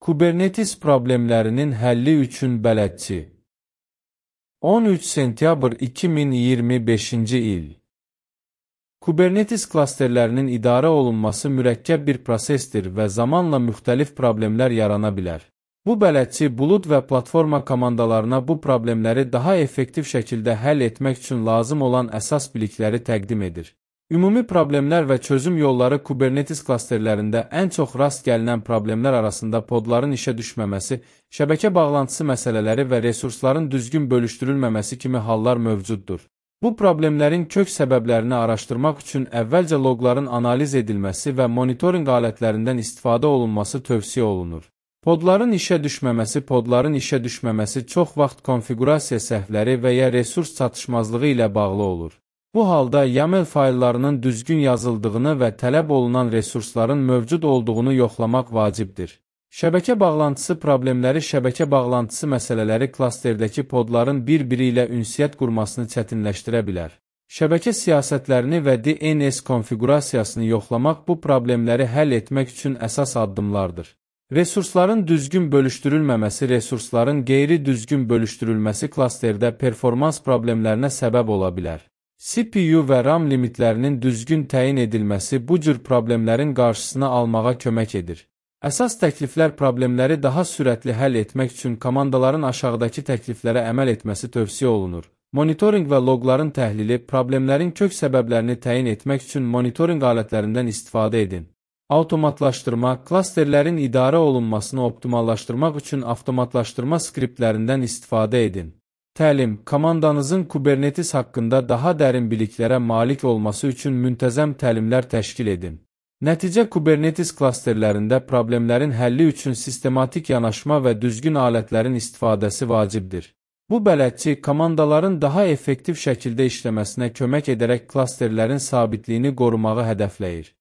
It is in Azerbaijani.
Kubernetes problemlərinin həlli üçün bələdçi. 13 sentyabr 2025-ci il. Kubernetes klasterlərinin idarə olunması mürəkkəb bir prosesdir və zamanla müxtəlif problemlər yarana bilər. Bu bələdçi bulud və platforma komandalarına bu problemləri daha effektiv şəkildə həll etmək üçün lazım olan əsas bilikləri təqdim edir. Ümumi problemlər və çözüm yolları Kubernetes klasterlərində ən çox rast gəlinən problemlər arasında podların işə düşməməsi, şəbəkə bağlantısı məsələləri və resursların düzgün bölüşdürülməməsi kimi hallar mövcuddur. Bu problemlərin kök səbəblərini araşdırmaq üçün əvvəlcə loqların analiz edilməsi və monitorinq alətlərindən istifadə olunması tövsiyə olunur. Podların işə düşməməsi çox vaxt konfiqurasiya səhvləri və ya resurs çatışmazlığı ilə bağlı olur. Bu halda YAML fayllarının düzgün yazıldığını və tələb olunan resursların mövcud olduğunu yoxlamaq vacibdir. Şəbəkə bağlantısı problemləri şəbəkə bağlantısı məsələləri klasterdəki podların bir-biri ilə ünsiyyət qurmasını çətinləşdirə bilər. Şəbəkə siyasətlərini və DNS konfiqurasiyasını yoxlamaq bu problemləri həll etmək üçün əsas addımlardır. Resursların düzgün bölüşdürülməməsi, resursların qeyri-düzgün bölüşdürülməsi klasterdə performans problemlərinə səbəb ola bilər. CPU və RAM limitlərinin düzgün təyin edilməsi bu cür problemlərin qarşısını almağa kömək edir. Əsas təkliflər problemləri daha sürətli həll etmək üçün komandaların aşağıdakı təkliflərə əməl etməsi tövsiyə olunur. Monitorinq və loqların təhlili, problemlərin kök səbəblərini təyin etmək üçün monitorinq alətlərindən istifadə edin. Avtomatlaşdırma, klasterlərin idarə olunmasını optimallaşdırmaq üçün avtomatlaşdırma skriptlərindən istifadə edin. Təlim, komandanızın Kubernetes haqqında daha dərin biliklərə malik olması üçün müntəzəm təlimlər təşkil edin. Nəticə Kubernetes klasterlərində problemlərin həlli üçün sistematik yanaşma və düzgün alətlərin istifadəsi vacibdir. Bu bələdçi komandaların daha effektiv şəkildə işləməsinə kömək edərək klasterlərin sabitliyini qorumağı hədəfləyir.